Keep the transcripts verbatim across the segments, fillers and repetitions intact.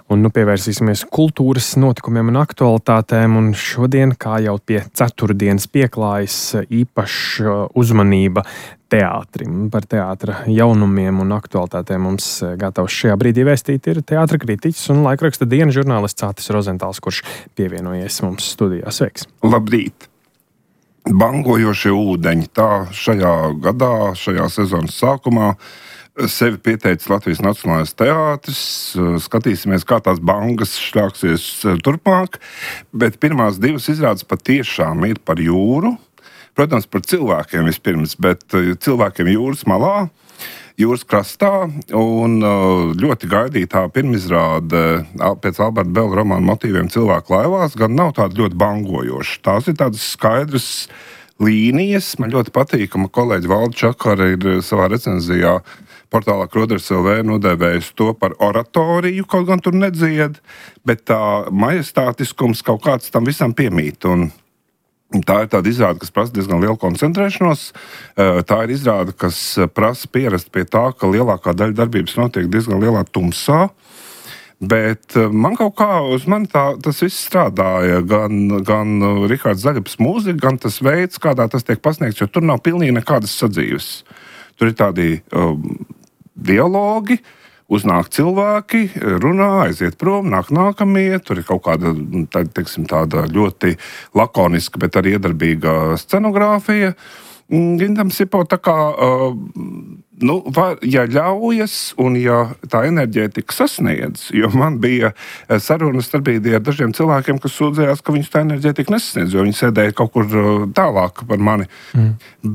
Un nu pievērsīsimies kultūras notikumiem un aktualitātēm, un šodien, kā jau pie ceturtdienas pieklājas, īpaša uzmanība teātrim. Par teātra jaunumiem un aktualitātēm mums gatavs šajā brīdī vēstīt ir teātra kritiķis un laikraksta Diena žurnālists Atis Rozentāls, kurš pievienojies mums studijā. Sveiks! Labrīt! Bangojošie ūdeņi, tā šajā gadā, šajā sezonas sākumā sevi pieteicis Latvijas Nacionālais teātris. Skatīsimies, kā tās bangas šļāksies turpmāk, bet pirmās divas izrādes patiešām ir par jūru. Protams, par cilvēkiem vispirms, bet cilvēkiem jūras malā, jūras krastā, un ļoti gaidītā pirmizrāde pēc Alberta Belga romāna motīviem Cilvēku laivās gan nav tāda ļoti bangojoša. Tās ir tādas skaidras līnijas. Man ļoti patīk, ka man kolēģi Valda Čakara ir savā recenzijā portālā Kroders L V nodēvējis to par oratoriju, kaut gan tur nedzied, bet tā majestātiskums kaut kāds tam visam piemīt. Un tā ir tāda izrāde, kas prasa diezgan lielu koncentrēšanos. Tā ir izrāde, kas prasa pierast pie tā, ka lielākā daļa darbības notiek diezgan lielā tumsā. Bet man kaut kā uz mani tā, tas viss strādāja. Gan, gan Rihards Zaļaps mūzika, gan tas veids, kādā tas tiek pasniegts, jo tur nav pilnīgi nekādas sadzīves. Tur ir tādi um, dialogi, uznāk cilvēki, runā, aiziet prom, nāk nākamie. Tur ir kaut kāda tā, teiksim, tāda ļoti lakoniska, bet arī iedarbīga scenogrāfija. Gindam Sipo tā kā, uh, nu, var, ja ļaujas un ja tā enerģētika sasniedz, jo man bija sarunas starp brīdī ar dažiem cilvēkiem, kas sūdzējās, ka viņus tā enerģētika nesasniedz, jo viņi sēdēja kaut kur tālāk par mani. Mm.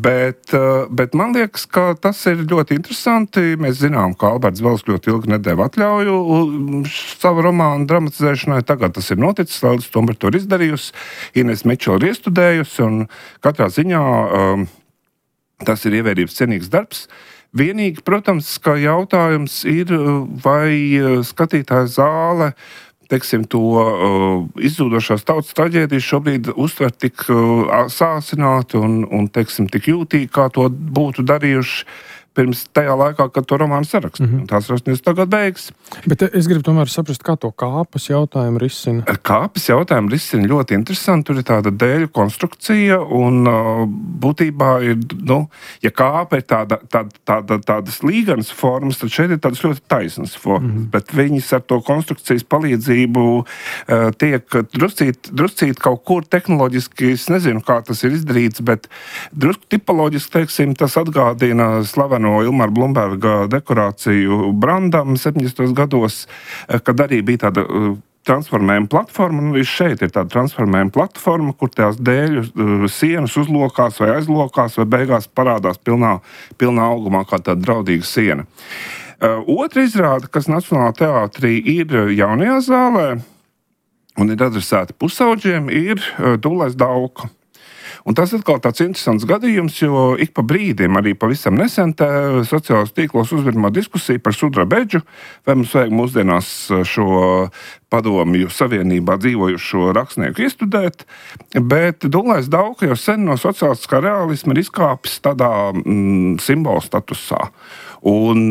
Bet, uh, bet man liekas, ka tas ir ļoti interesanti. Mēs zinām, ka Alberts Belgs ļoti ilgi nedēva atļauju savu romānu dramatizēšanai. Tagad tas ir noticis, Lēlis tomēr to ir izdarījusi. Ines Mičela ir iestudējusi, un katrā ziņā um, tas ir ievērības cienīgs darbs. Vienīgi, protams, ka jautājums ir, vai skatītāja zāle, teiksim, to uh, izzūdošās tautas traģēdijas šobrīd uztver tik uh, sāsināti un, un, teiksim, tik jūtīgi, kā to būtu darījuši pirms tajā laikā, kad to romānu sarakstu. Mm-hmm. Tās rakstnieks tagad beigas. Bet es gribu tomēr saprast, kā to kāpas jautājumu risina. Kāpas jautājumu risina ļoti interesanti. Tur ir tāda dēļu konstrukcija un uh, būtībā ir, nu, ja kāpa ir tāda, tāda, tāda, tādas līganas formas, tad šeit ir tādas ļoti taisnas formas. Mm-hmm. Bet viņas ar to konstrukcijas palīdzību uh, tiek druscīt, druscīt kaut kur tehnoloģiski, es nezinu, kā tas ir izdarīts, bet drusku tipoloģiski, teiksim, tas atgādina slavenu no Ilmara Blumberga dekorāciju Brandam septiņdesmitos gados, kad arī bija tāda transformējuma platforma, un arī šeit ir tāda transformējuma platforma, kur tās dēļu sienas uzlokās vai aizlokās, vai beigās parādās pilnā, pilnā augumā kā tāda draudīga siena. Otra izrāde, kas Nacionālajā teātrī ir jaunajā zālē un ir adresēta pusauģiem, ir Dūlais Dauka. Un tas atkal tāds interesants gadījums, jo ik pa brīdim, arī pavisam nesen sociālajos tīklos uzvirmo diskusija par sudrabeģu, vai mums vajag mūsdienās šo padomju savienībā dzīvojušo rakstnieku iestudēt, bet Dūlais Dauka jau sen no sociālistiskā realisma ir izkāpis tādā mm, simbolu statusā. Un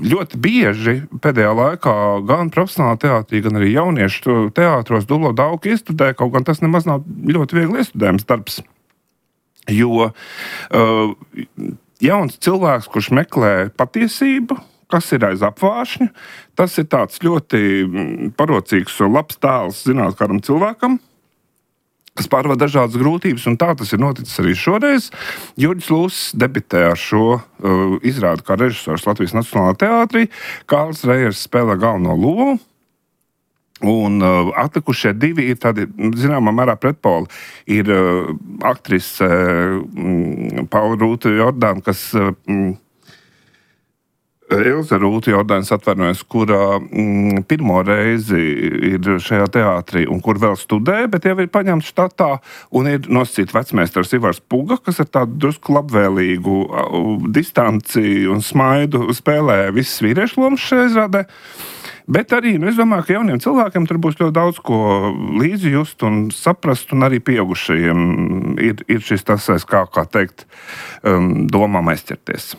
ļoti bieži pēdējā laikā gan profesionālā teātrī, gan arī jauniešu teātros Dūlo Dauku iestudē, kaut gan tas nemaz nav ļoti viegli iestudējams darbs. Jo uh, jauns cilvēks, kurš meklē patiesību, kas ir aiz apvāršņa, tas ir tāds ļoti parocīgs un labs tēls zināt kādam cilvēkam, kas pārvar dažādas grūtības, un tā tas ir noticis arī šoreiz. Jurģis Lūss debitē ar šo uh, izrādi kā režisors Latvijas Nacionālajā teātrī. Kārlis Rejers spēlē galveno lomu, un uh, atlikušie divi ir tādi, zināmā mērā pretpoli. Ir uh, aktrise uh, Paula Rūta Jordāna, kas uh, Ilze Rūta Jordāns atvainojas, kura mm, pirmo reizi ir šajā teātrī un kur vēl studē, bet jau ir paņemts štatā un ir nosacīts vecmeistars Ivars Puga, kas ar tādu drusku labvēlīgu uh, distanci un smaidu spēlē visas vīriešu lomas šajā izrādē. Bet arī, nu, es domāju, ka jauniem cilvēkiem tur būs ļoti daudz ko līdzi just un saprast, un arī pieaugušajiem ir, ir šis tas, kā, kā teikt, um, domām aizķerties.